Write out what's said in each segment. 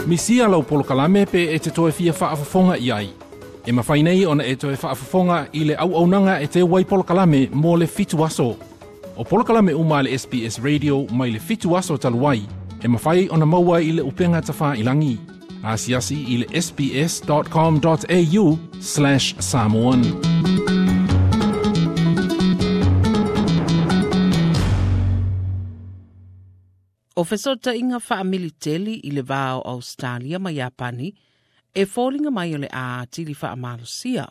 Misia lau polokalame pe e te toe fia faafofoga i ai. E mafai nei ona e toe faafofoga i le auaunaga e te wai polokalame mo le 7 aso. O polokalame uma le SBS Radio mai le 7 aso talu ai, e mafai ona maua i le upega tafailagi. Asiasi i le sbs.com.au/samoan. O fesootaiga faamiliteli i le va o Australia ma Iapani e foliga mai o le a atili faamalosia.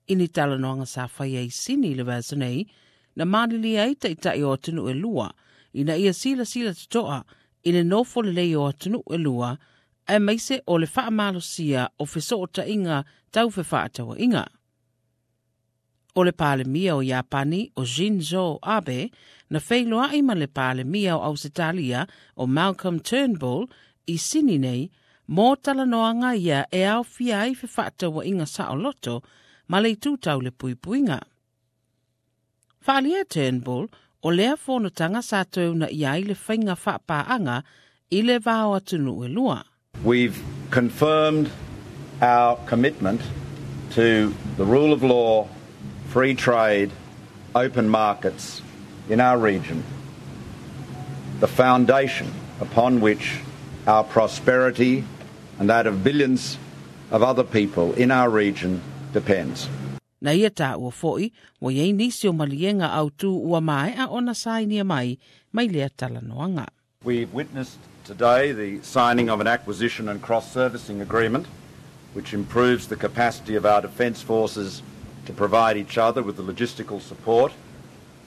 I ni talanoaga sa faia i Sini i le vaiaso nei, na malilie ai ta'ita'i o atunuu e lua, ina ia silasila toto'a i le nofo lelei o atunuu e lua, aemaise o le faamalosia o fesootaiga tau fefaatauaiga. O le Palemia o Iapani o Shinzo Abe na feiloai ma le Palemia o Ausetalia o Malcolm Turnbull i Sini nei mo talanoaga ia e aofia ai fefaatauaiga saoloto ma le itu tau le puipuiga. Faaalia e Turnbull o lea fonotaga sa toe uunaia ai le faiga faapaaga i le va o atunuu e lua. We've confirmed our commitment to the rule of law, free trade, open markets in our region, the foundation upon which our prosperity and that of billions of other people in our region depends. Na ia taua fo'i, ua i ai nisi o maliega autū ua maea ona sainia mai mai lea talanoaga. We've witnessed today the signing of an acquisition and cross-servicing agreement which improves the capacity of our defence forces to provide each other with the logistical support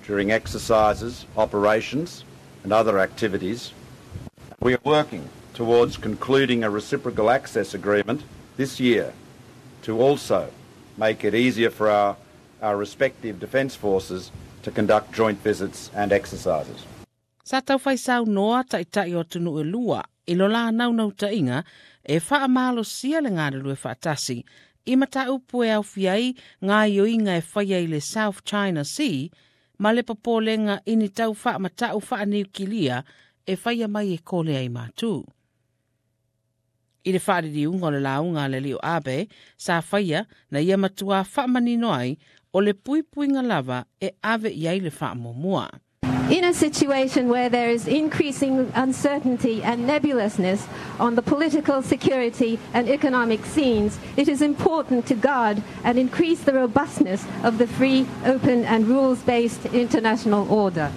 during exercises, operations and other activities. We are working towards concluding a reciprocal access agreement this year to also make it easier for our respective defence forces to conduct joint visits and exercises. Sa taufai saunoa ta'ita'i o atunuu e lua i lo la naunautaiga e faamalosia le galulue faatasi i mataupu e aofia ai gaoioiga e faia i le South China Sea ma le popolega i ni tau faamata'u faaniukilia e faia mai e Kolea i Matū. I le faaliliuga o le lauga a le alii o Abe, sa faia na ia matuā faamanino ai o le puipuiga lava e ave i ai le faamuamua. In a situation where there is increasing uncertainty and nebulousness on the political, security and economic scenes, it is important to guard and increase the robustness of the free, open and rules-based international order.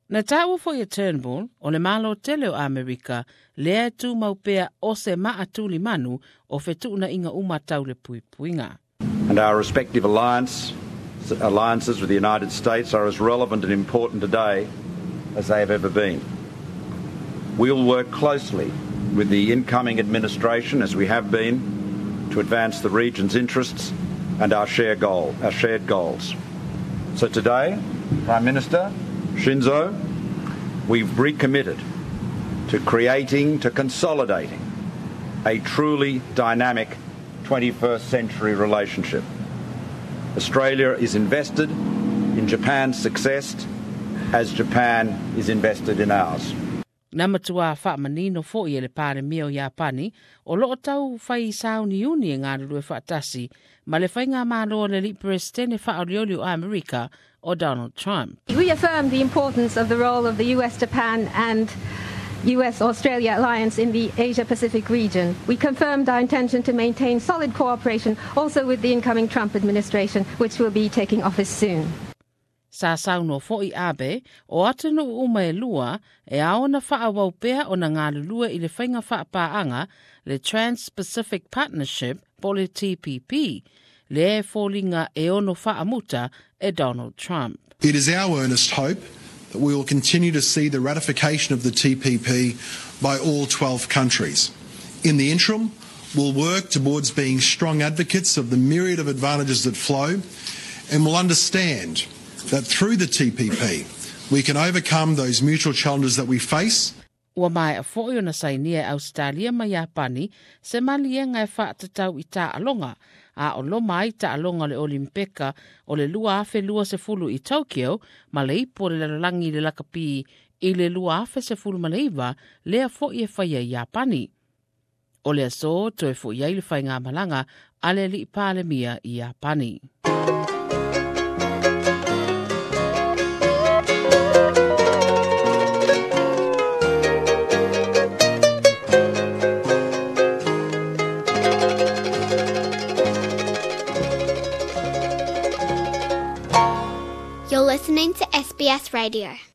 Na taua fo'i e Turnbull o le Malo tele o Amerika lea e tumau pea o se maa tulimanu o fetuunaiga uma tau le puipuiga. And our respective alliances with the United States are as relevant and important today as they have ever been. We'll work closely with the incoming administration, as we have been, to advance the region's interests and our shared goals. So today, Prime Minister Shinzo, we've recommitted to creating, to consolidating a truly dynamic 21st century relationship. Australia is invested in Japan's success as Japan is invested in ours. Na matuā faamanino fo'i e le Palemia o Iapani o loo taufai sauniuni e galulue faatasi ma le faigamalo a le alii Peresetene faaolioli o Amerika o Donald Trump. We affirm the importance of the role of the US-Japan and US-Australia alliance in the Asia-Pacific region. We confirmed our intention to maintain solid cooperation also with the incoming Trump administration, which will be taking office soon. Sa saunoa fo'i Abe o atunuu uma e lua e ao ona faaauau pea ona galulue i le faiga faapaaga le Trans-Pacific Partnership po o le TPP, lea e foliga e ono faamuta e Donald Trump. It is our earnest hope that we will continue to see the ratification of the TPP by all 12 countries. In the interim, we'll work towards being strong advocates of the myriad of advantages that flow, and we'll understand that through the TPP, we can overcome those mutual challenges that we face. Ua maea fo'i ona sainia e Ausetalia ma Iapani se maliega e faatatau i taaloga, a o loma ai taaloga o le Olimpeka o le 2020 i Tokyo ma le ipu o le lalolagi i le lakapi i le 2019 lea fo'i e faia i Iapani. O le aso toe fo'i ai le faigamalaga a le alii Palemia i Iapani. You're listening to SBS Radio.